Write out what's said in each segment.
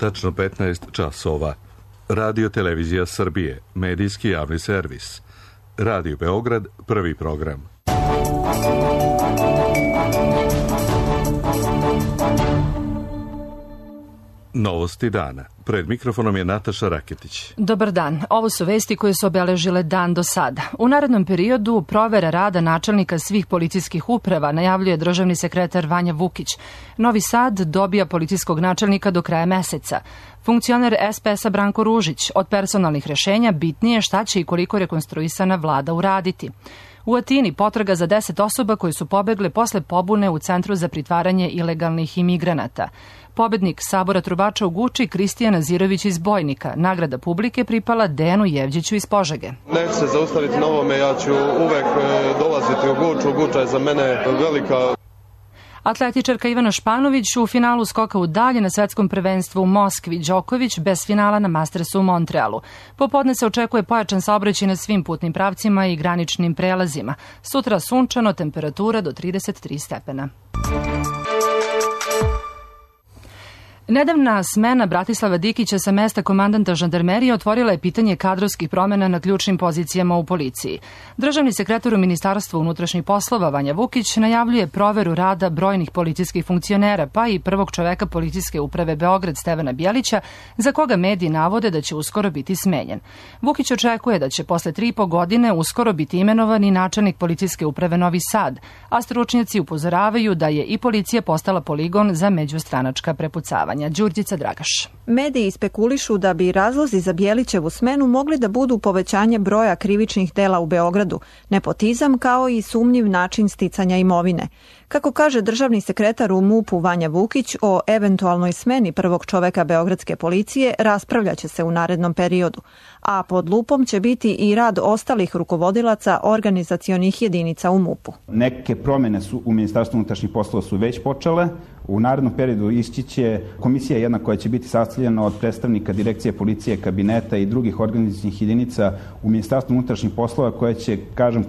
tačno 15 časova. Radio Televizija Srbije, medijski javni servis. Radio Beograd, prvi program. Novosti dana. Pred mikrofonom je Nataša Raketić. Dobar dan. Ovo su vesti koje su obeležile dan do sada. U narednom periodu provera rada načelnika svih policijskih uprava, najavljuje državni sekretar Vanja Vukić. Novi Sad dobija policijskog načelnika do kraja meseca. Funkcioner SPS-a Branko Ružić, od personalnih rešenja bitnije šta će i koliko rekonstruisana vlada uraditi. U Atini potraga za 10 osoba koje su pobegle posle pobune u Centru za pritvaranje ilegalnih imigranata. Pobednik Sabora trubača u Guči Kristijan Nazirović iz Bojnika. Nagrada publike pripala Dejanu Jevđiću iz Požege. Neću se zaustaviti na ovome, ja ću uvek dolaziti u Guču. Guča je za mene velika. Atletičarka Ivana Španović u finalu skoka u dalje na svetskom prvenstvu u Moskvi. Đoković bez finala na Mastersu u Montrealu. Popodne se očekuje pojačan saobraćaj na svim putnim pravcima i graničnim prelazima. Sutra sunčano, temperatura do 33 stepena. Nedavna smena Bratislava Dikića sa mesta komandanta žandarmerije otvorila je pitanje kadrovskih promena na ključnim pozicijama u policiji. Državni sekretar u Ministarstvu unutrašnjih poslova Vanja Vukić najavljuje proveru rada brojnih policijskih funkcionera, pa i prvog čoveka policijske uprave Beograd Stevana Bjelića, za koga mediji navode da će uskoro biti smenjen. Vukić očekuje da će posle 3,5 godine uskoro biti imenovan i načelnik policijske uprave Novi Sad, a stručnjaci upozoravaju da je i policija postala poligon za međustranačka prepucavanja. Đurđica Dragaš. Mediji spekulišu da bi razlozi za Bjelićevu smenu mogli da budu povećanje broja krivičnih dela u Beogradu, nepotizam kao i sumnjiv način sticanja imovine. Kako kaže državni sekretar u MUP-u Vanja Vukić, o eventualnoj smeni prvog čoveka beogradske policije raspravljaće se u narednom periodu, a pod lupom će biti i rad ostalih rukovodilaca organizacionih jedinica u MUP-u. Neke promjene su u Ministarstvu unutrašnjih poslova su već počele. U narednom periodu ići će komisija jedna koja će biti sastavljena od predstavnika direkcije policije, kabineta i drugih organizacionih jedinica u Ministarstvu unutrašnjih poslova koja će,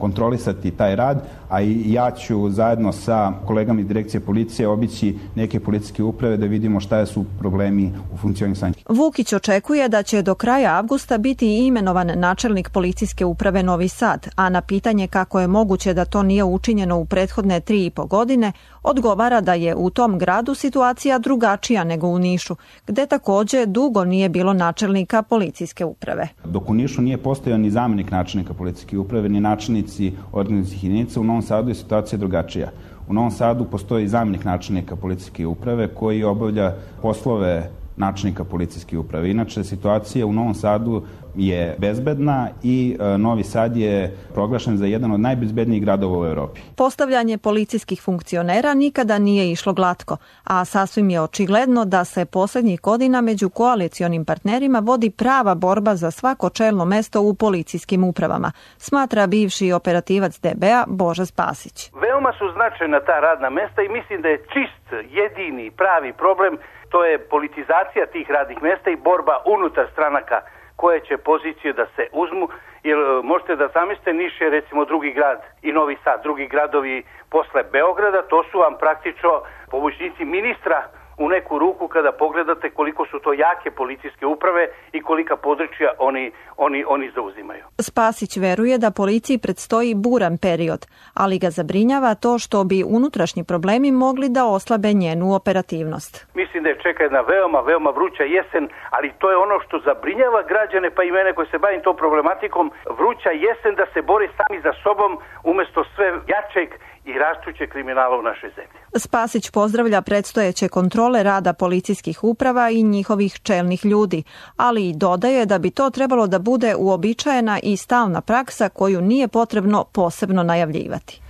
kontrolisati taj rad, a i ja ću zajedno sa kolegama iz direkcije policije obići neke policijske uprave da vidimo šta su problemi u funkcionisanju. Vukić očekuje da će do kraja avgusta biti imenovan načelnik policijske uprave Novi Sad, a na pitanje kako je moguće da to nije učinjeno u prethodne 3,5 godine, odgovara da je u tom gradu situacija drugačija nego u Nišu, gde takođe dugo nije bilo načelnika policijske uprave. Dok u Nišu nije postojao ni zamenik načelnika policijske uprave, ni načelnici organizacionih jedinica, u Novom Sadu je situacija drugačija. U Novom Sadu postoji zamenik načelnika policijske uprave koji obavlja poslove načelnika policijske uprave. Inače, situacija u Novom Sadu je bezbedna i Novi Sad je proglašen za jedan od najbezbednijih gradova u Evropi. Postavljanje policijskih funkcionera nikada nije išlo glatko, a sasvim je očigledno da se poslednjih godina među koalicionim partnerima vodi prava borba za svako čelno mesto u policijskim upravama, smatra bivši operativac DB-a Boža Spasić. Veoma su značajna ta radna mesta i mislim da je čist, jedini, pravi problem, to je politizacija tih radnih mesta i borba unutar stranaka koje će pozicije da se uzmu, jer možete da zamislite, Niš je recimo drugi grad i Novi Sad, drugi gradovi posle Beograda, to su vam praktično pomoćnici ministra u neku ruku kada pogledate koliko su to jake policijske uprave i kolika područja oni zauzimaju. Spasić veruje da policiji predstoji buran period, ali ga zabrinjava to što bi unutrašnji problemi mogli da oslabe njenu operativnost. Mislim da je čeka jedna veoma vruća jesen, ali to je ono što zabrinjava građane, pa i mene koji se bavim tom problematikom, vruća jesen da se bore sami za sobom umesto sve jačeg i rastuće kriminala u našoj zemlji. Spasić pozdravlja predstojeće kontrole rada policijskih uprava i njihovih čelnih ljudi, ali i dodaje da bi to trebalo da bude uobičajena i stalna praksa koju nije potrebno posebno najavljivati.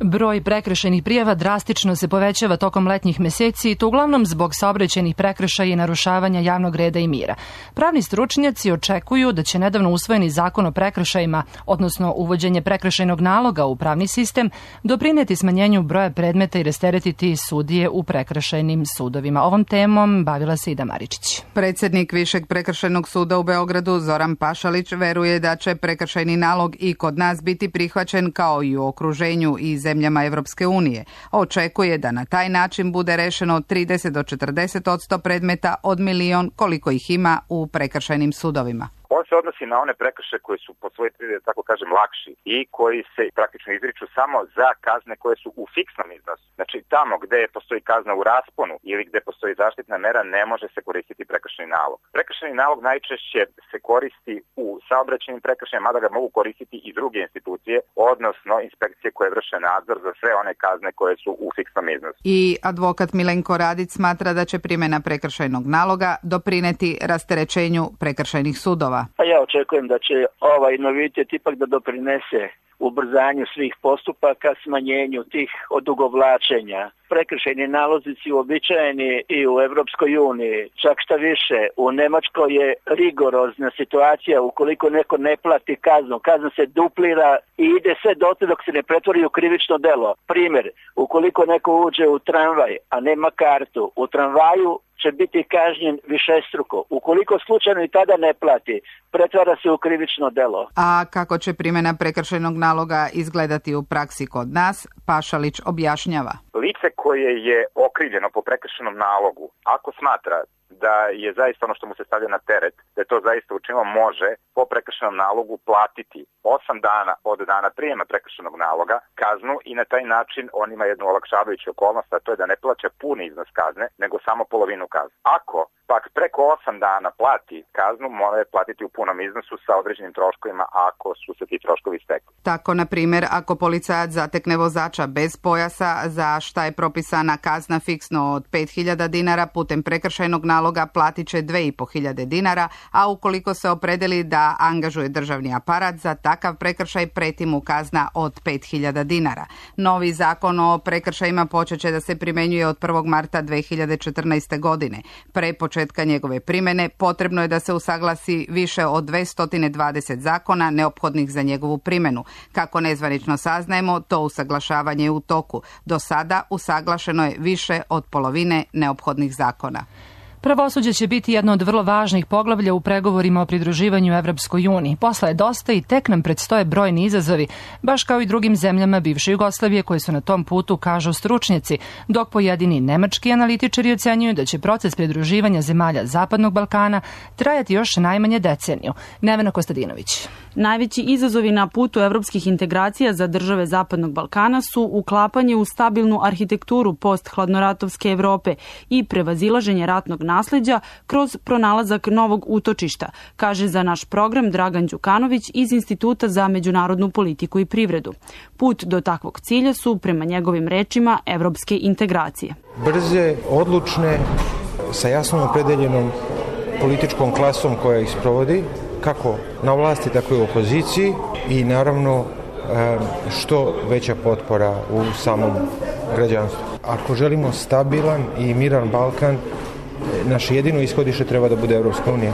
Broj prekršajnih prijava drastično se povećava tokom letnjih meseci i to uglavnom zbog saobraćajnih prekršaja i narušavanja javnog reda i mira. Pravni stručnjaci očekuju da će nedavno usvojeni zakon o prekršajima, odnosno uvođenje prekršajnog naloga u pravni sistem, doprineti smanjenju broja predmeta i rasteretiti sudije u prekršajnim sudovima. Ovom temom bavila se Ida Maričić. Predsjednik Višeg prekršajnog suda u Beogradu Zoran Pašalić veruje da će prekršajni nalog i kod nas biti prihvaćen kao i u okruženju i zemljama Evropske unije. Očekuje da na taj način bude rešeno od 30 do 40% predmeta od 1 milion koliko ih ima u prekršajnim sudovima. On se odnosi na one prekršaje koji su po svojoj prirodi, tako kažem, lakši i koji se praktično izriču samo za kazne koje su u fiksnom iznosu. Znači tamo gde postoji kazna u rasponu ili gde postoji zaštitna mera ne može se koristiti prekršajni nalog. Prekršajni nalog najčešće se koristi u saobraćajnim prekršajima, mada ga mogu koristiti i druge institucije, odnosno inspekcije koje vrše nadzor za sve one kazne koje su u fiksnom iznosu. I advokat Milenko Radić smatra da će primjena prekršajnog naloga doprineti rasterećenju prekršajnih sudova. Pa ja očekujem da će ovaj novitet ipak da doprinese ubrzanju svih postupaka, smanjenju tih odugovlačenja. Prekršajni nalozi su uobičajeni i u Evropskoj uniji. Čak šta više, u Nemačkoj je rigorozna situacija ukoliko neko ne plati kaznu. Kazna se duplira i ide sve dotle dok se ne pretvori u krivično delo. Primjer, ukoliko neko uđe u tramvaj, a nema kartu, u tramvaju će biti kažnjen višestruko. Ukoliko slučajno i tada ne plati, pretvara se u krivično delo. A kako će primjena prekršajnog naloga izgledati u praksi kod nas, Pašalić objašnjava. Lice koje je okrivljeno po prekršajnom nalogu, ako smatra da je zaista ono što mu se stavlja na teret, da je to zaista učinilo, može po prekršajnom nalogu platiti 8 dana od dana prijema prekršajnog naloga kaznu i na taj način on ima jednu olakšavajuću okolnost, a to je da ne plaća puni iznos kazne, nego samo polovinu kazne. Ako pak preko 8 dana plati kaznu, mora je platiti u punom iznosu sa određenim troškovima ako su se ti troškovi stekli. Tako, na primjer, ako policajac zatekne vozača bez pojasa, za šta je propisana kazna fiksno od 5.000 dinara, putem prekršajnog naloga platit će 2.500 dinara, a ukoliko se opredeli da angažuje državni aparat, za takav prekršaj preti mu kazna od 5.000 dinara. Novi zakon o prekršajima počet će da se primenjuje od 1. marta 2014. godine. Pre početka njegove primjene potrebno je da se usaglasi više od 220 zakona neophodnih za njegovu primjenu. Kako nezvanično saznajemo, to usaglašavanje je u toku. Do sada usaglašeno je više od polovine neophodnih zakona. Pravosuđe će biti jedno od vrlo važnih poglavlja u pregovorima o pridruživanju Evropskoj uniji. Posla je dosta i tek nam predstoje brojni izazovi, baš kao i drugim zemljama bivše Jugoslavije koje su na tom putu, kažu stručnjaci, dok pojedini nemački analitičari ocenjuju da će proces pridruživanja zemalja Zapadnog Balkana trajati još najmanje deceniju. Nevena Kostadinović. Najveći izazovi na putu evropskih integracija za države Zapadnog Balkana su uklapanje u stabilnu arhitekturu post-hladnoratovske Evrope i prevazilaženje ratnog nasleđa kroz pronalazak novog utočišta, kaže za naš program Dragan Đukanović iz Instituta za međunarodnu politiku i privredu. Put do takvog cilja su, prema njegovim rečima, evropske integracije. Brze, odlučne, sa jasno opredeljenom političkom klasom koja ih sprovodi, kako na vlasti, tako i u opoziciji i naravno što veća potpora u samom građanstvu. Ako želimo stabilan i miran Balkan, naše jedino ishodište treba da bude Evropska unija.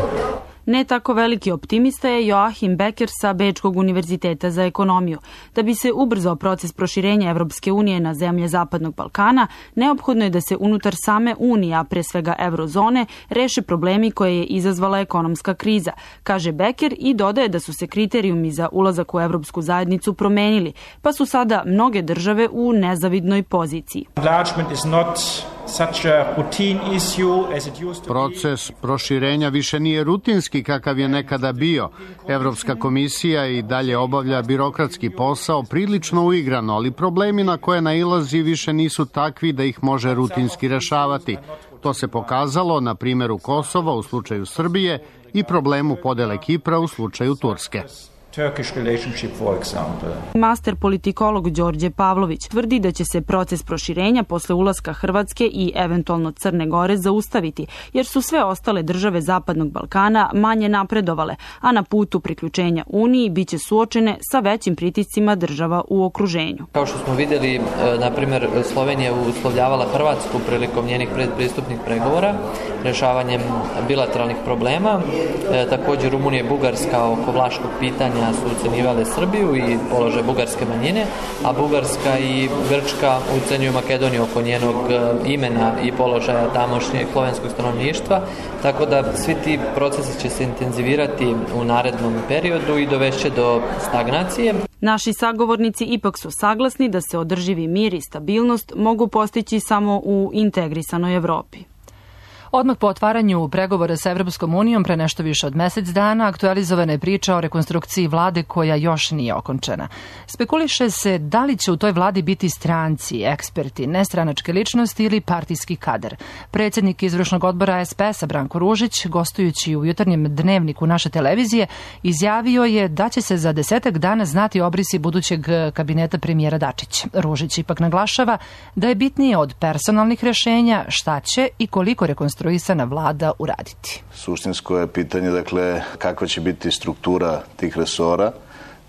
Ne tako veliki optimista je Joachim Becker sa Bečkog univerziteta za ekonomiju. Da bi se ubrzao proces proširenja Evropske unije na zemlje Zapadnog Balkana, neophodno je da se unutar same unije, a pre svega eurozone, reše problemi koje je izazvala ekonomska kriza, kaže Becker i dodaje da su se kriterijumi za ulazak u Evropsku zajednicu promenili, pa su sada mnoge države u nezavidnoj poziciji. Proces proširenja više nije rutinski kakav je nekada bio. Evropska komisija i dalje obavlja birokratski posao prilično uigrano, ali problemi na koje nailazi više nisu takvi da ih može rutinski rešavati. To se pokazalo na primjeru Kosova u slučaju Srbije i problemu podele Kipra u slučaju Turske. Master politikolog Đorđe Pavlović tvrdi da će se proces proširenja posle ulaska Hrvatske i eventualno Crne Gore zaustaviti, jer su sve ostale države Zapadnog Balkana manje napredovale, a na putu priključenja Uniji biće suočene sa većim pritiscima država u okruženju. Kao što smo vidjeli, na primjer, Slovenija uslovljavala Hrvatsku prilikom njenih predpristupnih pregovora, rešavanjem bilateralnih problema. Također Rumunija i Bugarska oko vlaškog pitanja su ucenjivale Srbiju i položaj bugarske manjine, a Bugarska i Grčka ucenjuju Makedoniju oko njenog imena i položaja tamošnjeg slovenskog stanovništva, tako da svi ti procesi će se intenzivirati u narednom periodu i dovešće do stagnacije. Naši sagovornici ipak su saglasni da se održivi mir i stabilnost mogu postići samo u integrisanoj Evropi. Odmah po otvaranju pregovora sa Evropskom unijom pre nešto više od mesec dana aktualizovana je priča o rekonstrukciji vlade koja još nije okončana. Spekuliše se da li će u toj vladi biti stranci, eksperti, nestranačke ličnosti ili partijski kadar. Predsjednik izvršnog odbora SPS-a Branko Ružić, gostujući u jutarnjem dnevniku naše televizije, izjavio je da će se za 10 dana znati obrisi budućeg kabineta premijera Dačića. Ružić ipak naglašava da je bitnije od personalnih rešenja šta će i koliko rekonstrukcija vlada uraditi. Suštinsko je pitanje, dakle, kakva će biti struktura tih resora,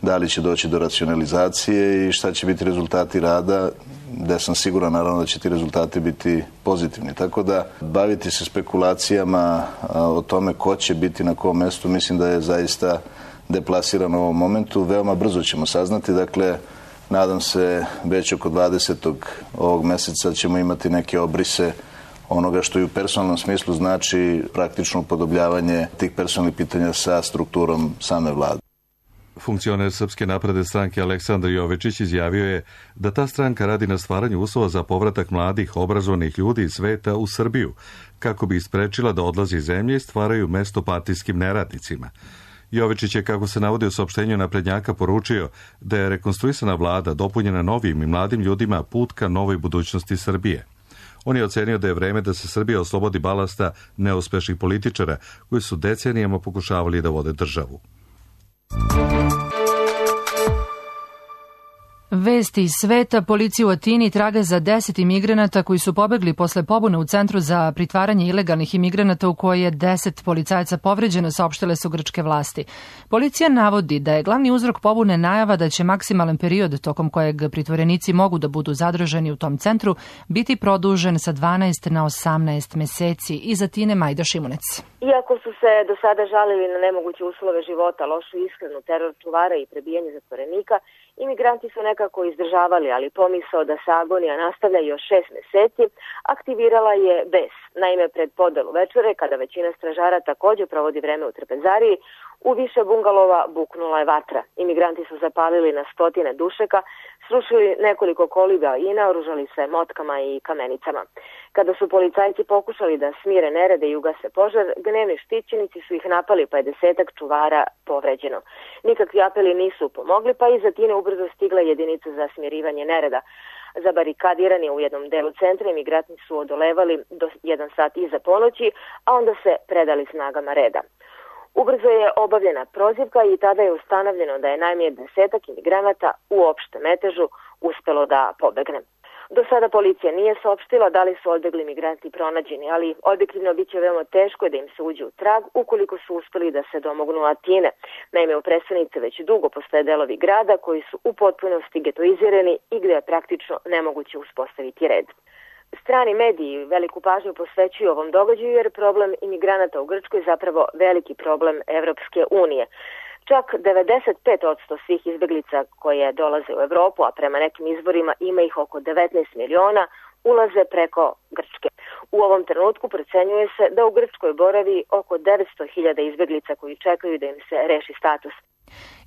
da li će doći do racionalizacije i šta će biti rezultati rada, da sam siguran naravno da će ti rezultati biti pozitivni. Tako da baviti se spekulacijama o tome ko će biti na kom mestu, mislim da je zaista deplasirano u ovom momentu. Veoma brzo ćemo saznati, dakle, nadam se već oko 20. ovog meseca ćemo imati neke obrise onoga što i u personalnom smislu znači praktično upodobljavanje tih personalnih pitanja sa strukturom same vlade. Funkcioner Srpske napredne stranke Aleksandar Jovičić izjavio je da ta stranka radi na stvaranju uslova za povratak mladih, obrazovanih ljudi iz sveta u Srbiju, kako bi isprečila da odlazi iz zemlje i stvaraju mesto partijskim neradnicima. Jovičić je, kako se navodi u saopštenju naprednjaka, poručio da je rekonstruisana vlada dopunjena novim i mladim ljudima put ka novoj budućnosti Srbije. On je ocenio da je vreme da se Srbija oslobodi balasta neuspešnih političara koji su decenijama pokušavali da vode državu. Vesti iz sveta, policija u Atini traga za 10 imigranata koji su pobegli posle pobune u centru za pritvaranje ilegalnih imigranata u kojoj je 10 policajaca povređeno, saopštile su grčke vlasti. Policija navodi da je glavni uzrok pobune najava da će maksimalan period tokom kojeg pritvorenici mogu da budu zadržani u tom centru biti produžen sa 12 na 18 meseci. Iz Atine Majda Šimunec. Iako su se do sada žalili na nemoguće uslove života, lošu ishranu, teror čuvara i prebijanje zatvorenika, imigranti su nekako izdržavali, ali pomisao da se agonija nastavlja još 6 meseci aktivirala je bes. Naime, pred podelu večere, kada većina stražara također provodi vreme u trpezariji, u više bungalova buknula je vatra. Imigranti su zapalili na stotine dušeka, srušili nekoliko koliba i naoružali se motkama i kamenicama. Kada su policajci pokušali da smire nerede i ugase požar, gnevni štićenici su ih napali, pa je 10 čuvara povređeno. Nikakvi apeli nisu pomogli, pa iz Atine ubrzo stigla jedinica za smirivanje nereda. Zabarikadirani u jednom delu centra, imigranti su odolevali do 1 sat iza ponoći, a onda se predali snagama reda. Ubrzo je obavljena prozivka i tada je ustanovljeno da je najmanje 10 imigranata u opštem metežu uspelo da pobegne. Do sada policija nije saopštila da li su odbegli migranti pronađeni, ali objektivno bit će veoma teško da im se uđe u trag ukoliko su uspeli da se domognu Atine. Naime, u prestonici već dugo postoje delovi grada koji su u potpunosti getoizirani i gde je praktično nemoguće uspostaviti red. Strani mediji veliku pažnju posvećuju ovom događaju jer problem imigranata u Grčkoj je zapravo veliki problem Evropske unije. Čak 95% svih izbeglica koje dolaze u Evropu, a prema nekim izvorima ima ih oko 19 miliona, ulaze preko Grčke. U ovom trenutku procenjuje se da u Grčkoj boravi oko 900.000 izbeglica koji čekaju da im se reši status.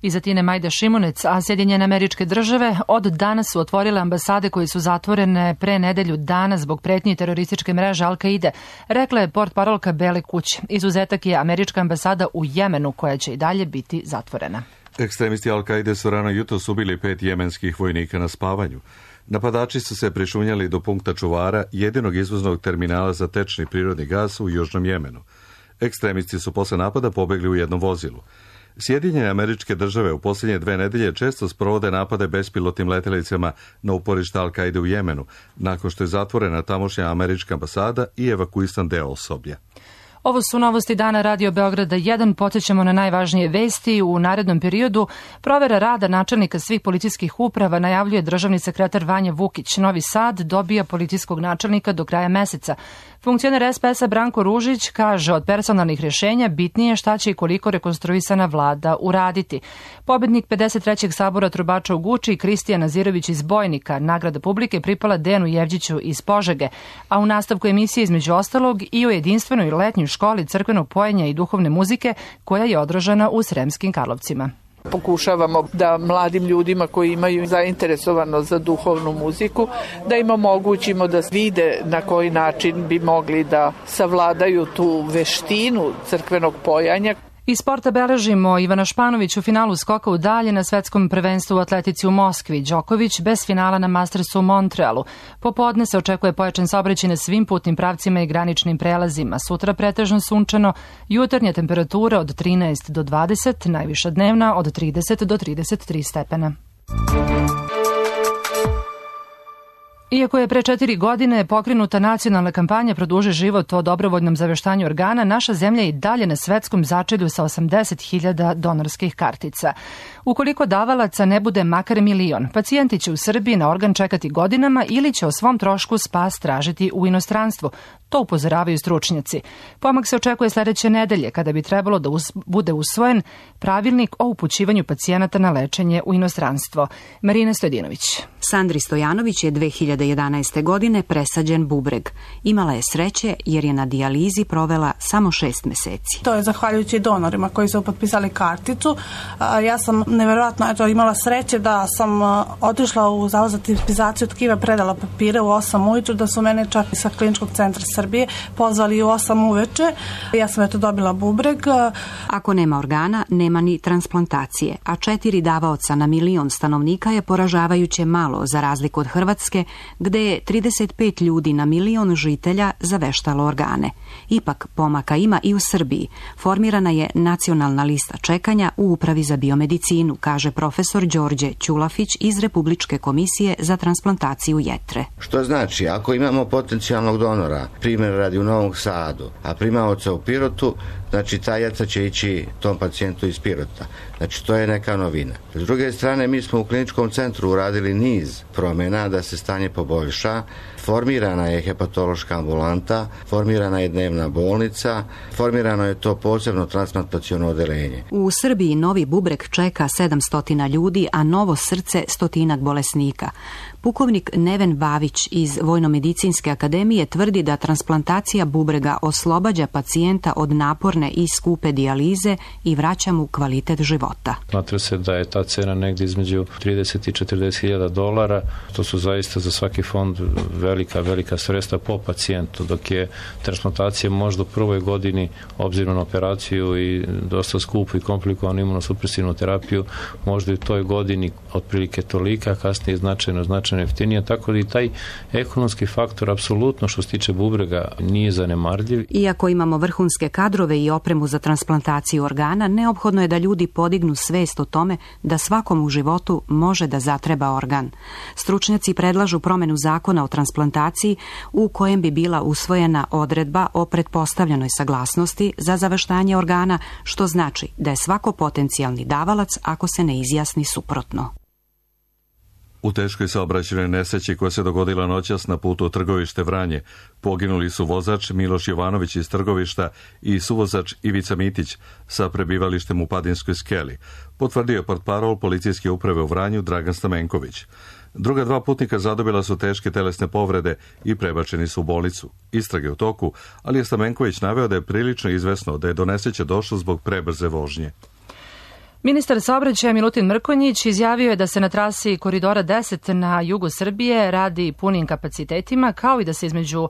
Iz Atine Majda Šimunec, a Sjedinjene Američke Države od danas su otvorile ambasade koje su zatvorene pre nedelju dana zbog pretnji terorističke mreže Al-Kaide, rekla je portparolka Bele kuće. Izuzetak je američka ambasada u Jemenu koja će i dalje biti zatvorena. Ekstremisti Al-Kaide su rano jutros ubili 5 jemenskih vojnika na spavanju. Napadači su se prišunjali do punkta čuvara, jedinog izvoznog terminala za tečni prirodni gas u Južnom Jemenu. Ekstremisti su posle napada pobegli u jednom vozilu. Sjedinjene Američke Države u posljednje 2 nedelje često sprovode napade bespilotnim letjelicama na uporište Al-Kaide u Jemenu, nakon što je zatvorena tamošnja američka ambasada i evakuisan deo osoblja. Ovo su novosti dana Radio Beograda 1. Podsjećamo na najvažnije vesti. U narednom periodu provera rada načelnika svih policijskih uprava najavljuje državni sekretar Vanja Vukić. Novi Sad dobija policijskog načelnika do kraja meseca. Funkcioner SPS-a Branko Ružić kaže od personalnih rješenja bitnije šta će i koliko rekonstruisana vlada uraditi. Pobednik 53. sabora trubača u Guči Kristijan Nazirović iz Bojnika, nagrada publike pripala Dejanu Jevđiću iz Požege, a u nastavku emisije između ostalog i o jedinstvenoj letnjoj školi crkvenog pojenja i duhovne muzike koja je održana u Sremskim Karlovcima. Pokušavamo da mladim ljudima koji imaju zainteresovanost za duhovnu muziku, da im omogućimo da vide na koji način bi mogli da savladaju tu veštinu crkvenog pojanja. Iz sporta beležimo Ivana Španović u finalu skoka u dalje na svetskom prvenstvu u atletici u Moskvi. Đoković bez finala na Mastersu u Montrealu. Popodne se očekuje pojačan saobraćaj na svim putnim pravcima i graničnim prelazima. Sutra pretežno sunčano, jutarnja temperatura od 13 do 20, najviša dnevna od 30 do 33 stepena. Iako je pre 4 godine pokrenuta nacionalna kampanja Produži život o dobrovoljnom zaveštanju organa, naša zemlja je i dalje na svetskom začelju sa 80.000 donorskih kartica. Ukoliko davalaca ne bude makar 1 milion, pacijenti će u Srbiji na organ čekati godinama ili će o svom trošku spas tražiti u inostranstvu. To upozoravaju stručnjaci. Pomak se očekuje sledeće nedelje, kada bi trebalo da bude usvojen pravilnik o upućivanju pacijenata na lečenje u inostranstvo. Marina Stojedinović. Sandri Stojanović je 2011. godine presađen bubreg. Imala je sreće jer je na dijalizi provela samo 6 meseci. To je zahvaljujući donorima koji su potpisali karticu. Ja sam nevjerojatno imala sreće da sam otišla u Zavod za tipizaciju tkiva, predala papire u 8 ujutru, da su mene čak sa Kliničkog centra Srbije pozvali u 8 uveče. Ja sam dobila bubreg. Ako nema organa, nema ni transplantacije, a 4 davaoca na 1 milion stanovnika je poražavajuće malo za razliku od Hrvatske, gde je 35 ljudi na 1 milion žitelja zaveštalo organe. Ipak pomaka ima i u Srbiji. Formirana je nacionalna lista čekanja u Upravi za biomedicinu, kaže profesor Đorđe Ćulafić iz Republičke komisije za transplantaciju jetre. Što znači, ako imamo potencijalnog donora, primjer radi u Novom Sadu, a primaoca u Pirotu, znači ta jetra će ići tom pacijentu iz Pirota. Znači to je neka novina. S druge strane, mi smo u kliničkom centru uradili niz promjena da se stanje poboljša. Formirana je hepatološka ambulanta, formirana je dnevna bolnica, formirano je to posebno transplantaciono odeljenje. U Srbiji novi bubreg čeka 700 ljudi, a novo srce 100 bolesnika. Pukovnik Neven Bavić iz Vojnomedicinske akademije tvrdi da transplantacija bubrega oslobađa pacijenta od naporne i skupe dijalize i vraća mu kvalitet života. Smatra se da je ta cena negdje između 30 i 40.000 dolara. To su zaista za svaki fond velika sredstva po pacijentu, dok je transplantacija možda u prvoj godini, obzirom na operaciju i dosta skupu i komplikovanu imunosupresivnu terapiju, možda i u toj godini otprilike tolika, kasnije značajno jeftinija, tako da i taj ekonomski faktor apsolutno što se tiče bubrega nije zanemarljiv. Iako imamo vrhunske kadrove i opremu za transplantaciju organa, neophodno je da ljudi podignu svest o tome da svakom u životu može da zatreba organ. Stručnjaci predlažu promenu zakona o transplantaciji u kojem bi bila usvojena odredba o pretpostavljenoj saglasnosti za zaveštanje organa, što znači da je svako potencijalni davalac ako se ne izjasni suprotno. U teškoj saobraćajnoj nesreći koja se dogodila noćas na putu Trgovište Vranje poginuli su vozač Miloš Jovanović iz Trgovišta i suvozač Ivica Mitić sa prebivalištem u Padinskoj skeli, potvrdio je portparol policijske uprave u Vranju Dragan Stamenković. Druga 2 putnika zadobila su teške telesne povrede i prebačeni su u bolnicu. Istrage u toku, ali je Stamenković naveo da je prilično izvesno da je do nesreće došlo zbog prebrze vožnje. Ministar saobraćaja Milutin Mrkonjić izjavio je da se na trasi Koridora 10 na jugu Srbije radi punim kapacitetima, kao i da se između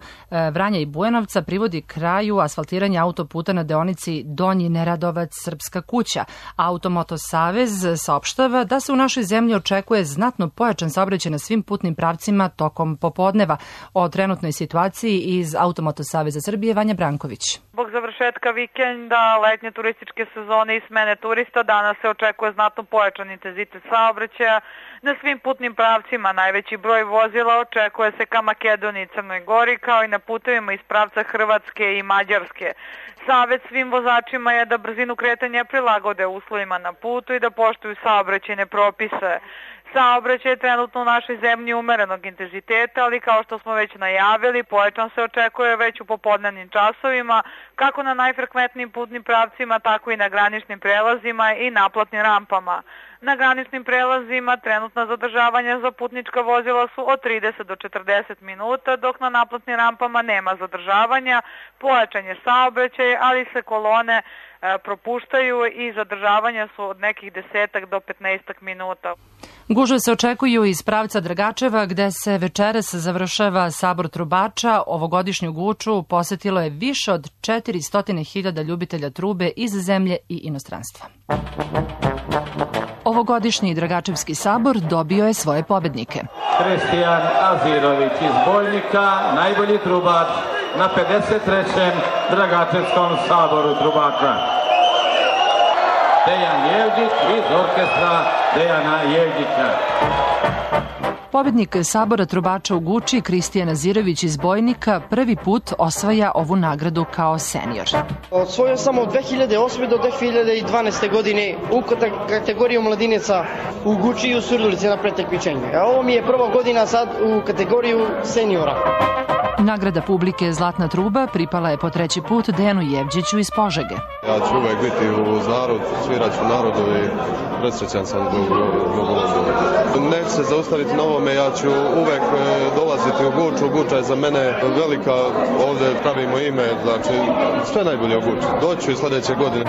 Vranja i Bujanovca privodi kraju asfaltiranja autoputa na deonici Donji Neradovac-Srpska kuća. Automoto Savez saopštava da se u našoj zemlji očekuje znatno pojačan saobraćaj na svim putnim pravcima tokom popodneva. O trenutnoj situaciji iz Automoto Saveza Srbije Vanja Branković. Zbog završetka vikenda, letnje turističke sezone i smene turista, danas se očekuje znatno pojačan intenzitet saobraćaja na svim putnim pravcima. Najveći broj vozila očekuje se ka Makedoniji i Crnoj Gori, kao i na putevima iz pravca Hrvatske i Mađarske. Savet svim vozačima je da brzinu kretanja prilagode uslovima na putu i da poštuju saobraćajne propise. Saobraćaj je trenutno u našoj zemlji umerenog intenziteta, ali kao što smo već najavili, pojačan se očekuje već u popodnevnim časovima, kako na najfrekventnijim putnim pravcima, tako i na graničnim prelazima i naplatnim rampama. Na graničnim prelazima trenutna zadržavanja za putnička vozila su od 30 do 40 minuta, dok na naplatnim rampama nema zadržavanja, pojačan je saobraćaj, ali se kolone propuštaju i zadržavanja su od nekih 10 do 15 minuta. Gužve se očekuju iz pravca Dragačeva, gde se večeras završava sabor trubača. Ovogodišnju guču posetilo je više od 400.000 ljubitelja trube iz zemlje i inostranstva. Ovogodišnji Dragačevski sabor dobio je svoje pobednike. Kristijan Azirović iz Bojnika, najbolji trubač na 53. Dragačevskom saboru trubača. Dejan Jevđić iz orkestra Dejana Jevđića. Pobednik sabora trubača u Guči, Kristijan Azirović iz Bojnika, prvi put osvaja ovu nagradu kao senior. Osvojio sam od 2008. do 2012. godine u kategoriju mladineca u Guči i u Surdulici na pretakmičenju. Ovo mi je prva godina sad u kategoriju seniora. Nagrada publike Zlatna truba pripala je po treći put Dejanu Jevđiću iz Požege. Ja ću uvek biti uz narod, svirat ću narodu i presrećan sam zbog ovoga. Neću se zaustaviti na ovome, ja ću uvek dolaziti u Guču. Guča je za mene velika, ovde pravimo ime, znači sve najbolje u Guči. Doću i sledeće godine.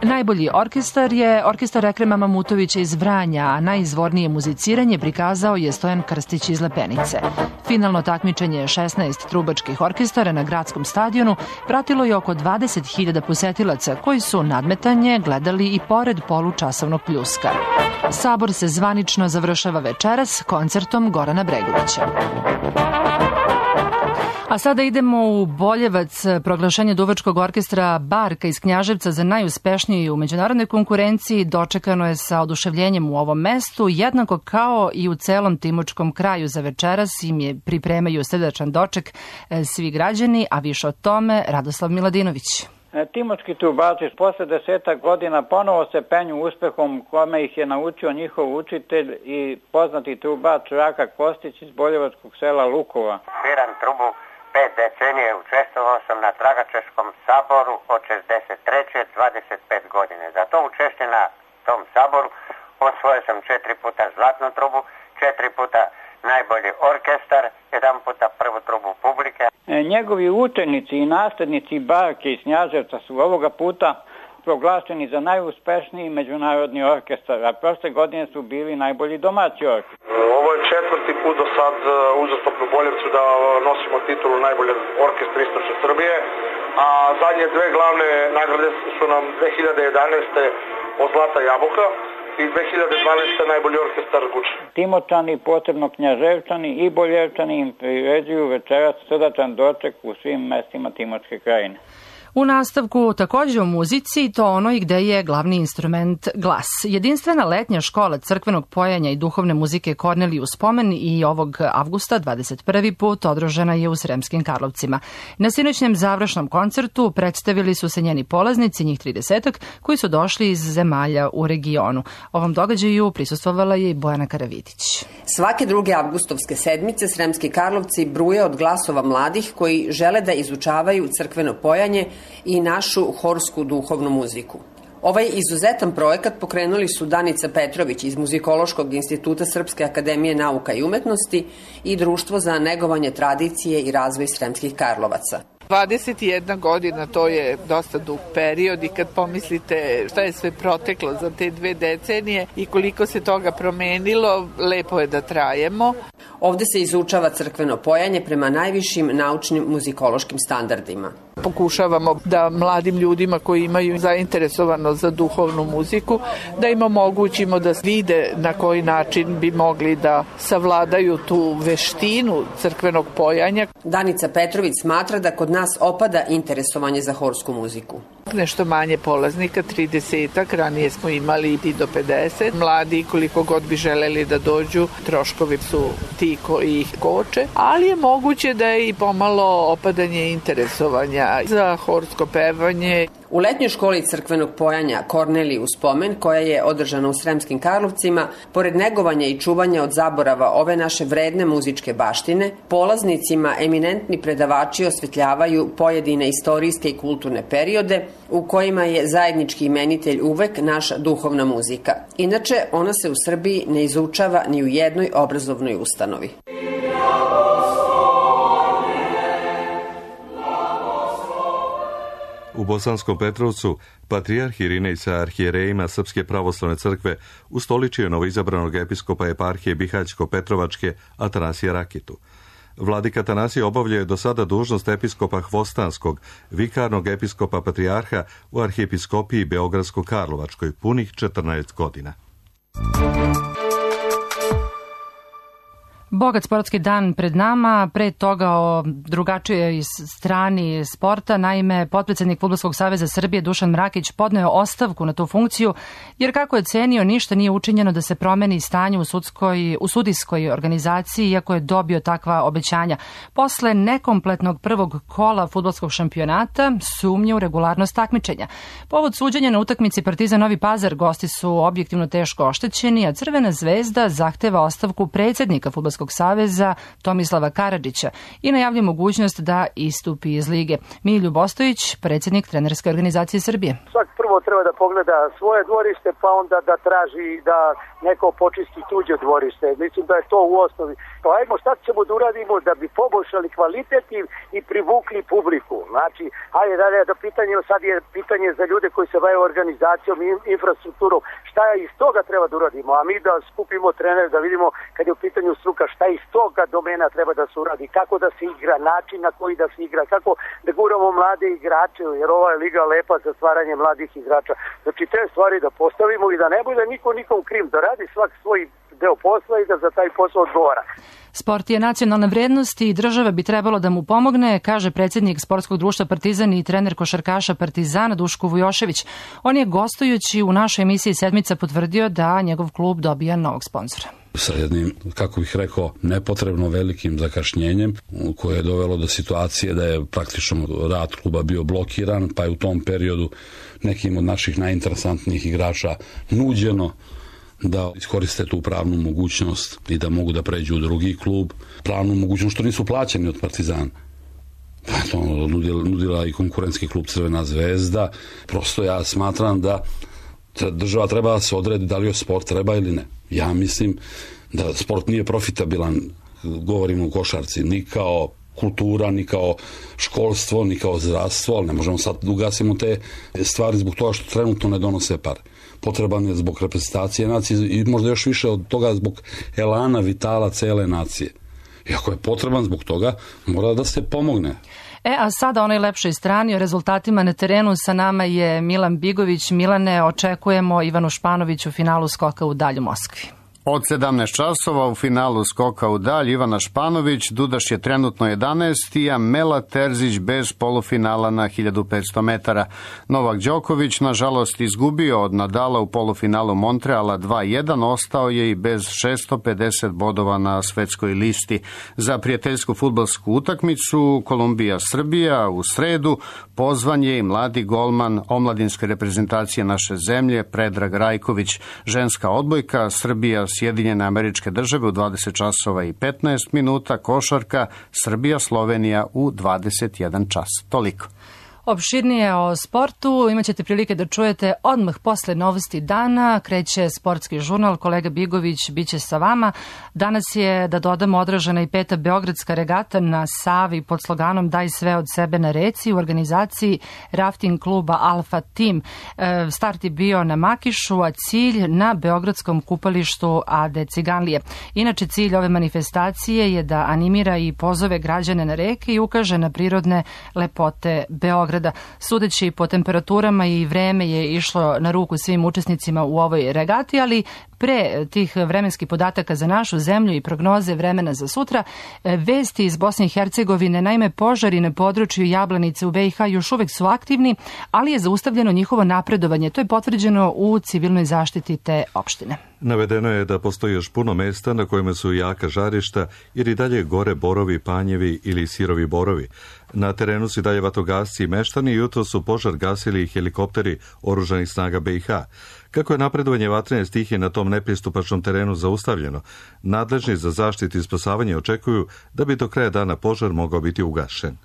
Najbolji orkestar je orkestar Ekrema Mamutovića iz Vranja, a najizvornije muziciranje prikazao je Stojan Krstić iz Lepenice. Finalno takmičenje 16 trubačkih orkestara na gradskom stadionu pratilo je oko 20.000 posetilaca koji su nadmetanje gledali i pored polučasovnog pljuska. Sabor se zvanično završava večeras koncertom Gorana Bregovića. A sada idemo u Boljevac. Proglašenje duvačkog orkestra Barka iz Knjaževca za najuspešniji u međunarodnoj konkurenciji dočekano je sa oduševljenjem u ovom mestu, jednako kao i u celom Timočkom kraju. Za večeras im je pripremaju srdačan doček svi građani, a više o tome Radoslav Miladinović. Timočki trubači posle 10 godina ponovo se penju uspehom kome ih je naučio njihov učitelj i poznati trubač Raka Kostić iz boljevačkog sela Lukova. Sviram trubu 5 decenije, učestvovao sam na Dragačevskom saboru od 63. 25 godine. Za to učešće na tom saboru osvojio sam 4 puta zlatnu trubu, 4 puta najbolji orkestar, 1 puta prvu trubu publike. Njegovi učenici i naslednici Barke iz Knjaževca su ovoga puta proglašeni za najuspešniji međunarodni orkestar, a prošle godine su bili najbolji domaći orkestar. Ovo je 4. put do sad uzastopno u Boljevcu da nosimo titulu najbolje orkestra istočne Srbije, a zadnje dve glavne nagrade su nam 2011. od Zlata jabuka i 2012. najbolji orkestar Guče. Timočani, posebno Knjaževčani i Boljevčani im priređuju večeras srdačan doček u svim mestima Timočke krajine. U nastavku takođe o muzici, to onoj gde je glavni instrument glas. Jedinstvena letnja škola crkvenog pojanja i duhovne muzike Korneliju Spomen i ovog avgusta 21. put održana je u Sremskim Karlovcima. Na sinoćnem završnom koncertu predstavili su se njeni polaznici, njih 30, koji su došli iz zemalja u regionu. Ovom događaju prisustvovala je i Bojana Karavidić. Svake druge avgustovske sedmice Sremski Karlovci bruje od glasova mladih koji žele da izučavaju crkveno pojanje i našu horsku duhovnu muziku. Ovaj izuzetan projekat pokrenuli su Danica Petrović iz Muzikološkog instituta Srpske akademije nauka i umetnosti i Društvo za negovanje tradicije i razvoj Sremskih Karlovaca. 21 godina, to je dosta dug period i kad pomislite šta je sve proteklo za te 2 decenije i koliko se toga promenilo, lepo je da trajemo. Ovde se izučava crkveno pojanje prema najvišim naučnim muzikološkim standardima. Pokušavamo da mladim ljudima koji imaju zainteresovanost za duhovnu muziku, da im omogućimo da vide na koji način bi mogli da savladaju tu veštinu crkvenog pojanja. Danica Petrović smatra da kod nas opada interesovanje za horsku muziku. Nešto manje polaznika, 30, ranije smo imali i do 50. Mladi, koliko god bi želeli da dođu, troškovi su ti koji ih koče, ali je moguće da je i pomalo opadanje interesovanja za horsko pevanje. U letnjoj školi crkvenog pojanja Korneliju u spomen, koja je održana u Sremskim Karlovcima, pored negovanja i čuvanja od zaborava ove naše vredne muzičke baštine, polaznicima eminentni predavači osvetljavaju pojedine istorijske i kulturne periode u kojima je zajednički imenitelj uvek naša duhovna muzika. Inače, ona se u Srbiji ne izučava ni u jednoj obrazovnoj ustanovi. U Bosanskom Petrovcu patrijarh Irinej sa arhijerejima Srpske pravoslavne crkve ustoličio novoizabranog episkopa eparhije Bihaćko-Petrovačke Atanasija Rakitu. Vladika Atanasije obavljao do sada dužnost episkopa Hvostanskog, vikarnog episkopa patrijarha u arhijepiskopiji Beogradsko-Karlovačkoj punih 14 godina. Bogat sportski dan pred nama, pre toga o drugačijoj strani sporta. Naime, potpredsednik Fudbalskog saveza Srbije Dušan Mrakić podneo ostavku na tu funkciju, jer kako je cenio, ništa nije učinjeno da se promeni stanje u sudijskoj organizaciji, iako je dobio takva obećanja. Posle nekompletnog prvog kola fudbalskog šampionata sumnje u regularnost takmičenja. Povod suđenja na utakmici Partizan Novi Pazar gosti su objektivno teško oštećeni, a Crvena zvezda zahteva ostavku predsednika Fudbalskog saveza Tomislava Karadžića i najavlja mogućnost da istupi iz lige. Milju Bostojić, predsednik trenerske organizacije Srbije. Svak prvo treba da pogleda svoje dvorište, pa onda da traži da neko počisti tuđe dvorište. Mislim da je to u osnovi. Pa ajmo šta ćemo da uradimo da bi poboljšali kvalitet i privukli publiku. Znači, ajde da pitanje, sad je pitanje za ljude koji se bave organizacijom i infrastrukturom. Šta iz toga treba da uradimo? A mi da skupimo trener, da vidimo kad je u pitanju struka šta iz toga domena treba da se uradi, kako da se igra, način na koji da se igra, kako da guramo mlade igrače, jer ova je liga lepa za stvaranje mladih igrača. Znači te stvari da postavimo i da ne bude niko nikom kriv, da radi svak svoj deo posla i da za taj posao odgovara. Sport je nacionalna vrednost i država bi trebalo da mu pomogne, kaže predsjednik Sportskog društva Partizan i trener košarkaša Partizana Duško Vujošević. On je gostujući u našoj emisiji Sedmica potvrdio da njegov klub dobija novog sponzora. Sa jednim, kako bih rekao, nepotrebno velikim zakašnjenjem koje je dovelo do situacije da je praktično rad kluba bio blokiran, pa je u tom periodu nekim od naših najinteresantnijih igrača nuđeno da iskoriste tu pravnu mogućnost i da mogu da pređu u drugi klub. Pravnu mogućnost što nisu plaćeni od Partizana. To nudila i konkurentski klub Crvena zvezda. Prosto ja smatram da država treba da se odredi da li joj sport treba ili ne. Ja mislim da sport nije profitabilan, govorimo o košarci, ni kao kultura, ni kao školstvo, ni kao zdravstvo, ali ne možemo sad da ugasimo te stvari zbog toga što trenutno ne donose pare. Potreban je zbog reprezentacije nacije i možda još više od toga zbog elana, vitala cele nacije. I ako je potreban zbog toga, mora da se pomogne. A sada onoj lepšoj strani o rezultatima na terenu sa nama je Milan Bigović. Milane, očekujemo Ivanu Španović u finalu skoka u dalj u Moskvi. Od 17 časova u finalu skoka u dalj Ivana Španović, Dudaš je trenutno 11. a Mela Terzić bez polufinala na 1500 metara. Novak Đoković, nažalost, izgubio od Nadala u polufinalu Montreala 2-1, ostao je i bez 650 bodova na svetskoj listi. Za prijateljsku fudbalsku utakmicu Kolumbija-Srbija u sredu pozvan je i mladi golman omladinske reprezentacije naše zemlje Predrag Rajković. Ženska odbojka Srbija Sjedinjene Američke Države u 20 časova i 15 minuta, košarka Srbija-Slovenija u 21 čas. Toliko. Opširnije o sportu imat ćete prilike da čujete odmah posle novosti dana. Kreće sportski žurnal, kolega Bigović biće sa vama. Danas je, da dodamo, odražena i 5. beogradska regata na Savi pod sloganom Daj sve od sebe na reci u organizaciji rafting kluba Alfa Team. Start je bio na Makišu, a cilj na beogradskom kupalištu Ade Ciganlije. Inače, cilj ove manifestacije je da animira i pozove građane na reke i ukaže na prirodne lepote Beograda. Sudeći po temperaturama i vreme je išlo na ruku svim učesnicima u ovoj regati, ali pre tih vremenskih podataka za našu zemlju i prognoze vremena za sutra, vesti iz Bosne i Hercegovine, naime požari na području Jablanice u BiH još uvek su aktivni, ali je zaustavljeno njihovo napredovanje. To je potvrđeno u civilnoj zaštiti te opštine. Navedeno je da postoji još puno mesta na kojima su jaka žarišta jer i dalje gore borovi, panjevi ili sirovi borovi. Na terenu su dalje vatrogasci i meštani jutro su požar gasili i helikopteri oružanih snaga BiH. Kako je napredovanje vatrene stihije na tom nepristupačnom terenu zaustavljeno, nadležni za zaštitu i spasavanje očekuju da bi do kraja dana požar mogao biti ugašen.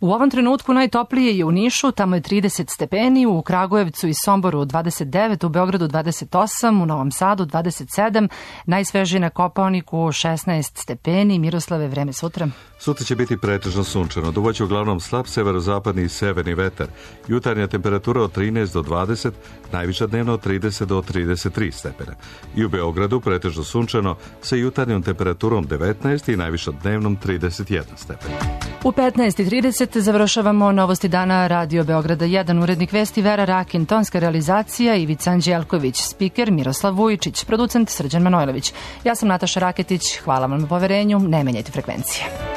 U ovom trenutku najtoplije je u Nišu, tamo je 30 stepeni, u Kragujevcu i Somboru 29, u Beogradu 28, u Novom Sadu 27, najsvežije na Kopaoniku 16 stepeni. Miroslave, vreme sutra? Sutra će biti pretežno sunčano, duvaće uglavnom slab severozapadni i severni vetar. Jutarnja temperatura od 13 do 20, najviša dnevno od 30 do 33 stepena. I u Beogradu pretežno sunčano sa jutarnjom temperaturom 19 i najviša dnevnom 31 stepen. U 15:30 završavamo Novosti dana Radio Beograda 1, urednik vesti Vera Rakin, tonska realizacija Ivica Anđelković, spiker Miroslav Vujičić, producent Srđan Manojlović. Ja sam Nataša Raketić, hvala vam na poverenju, ne menjajte frekvencije.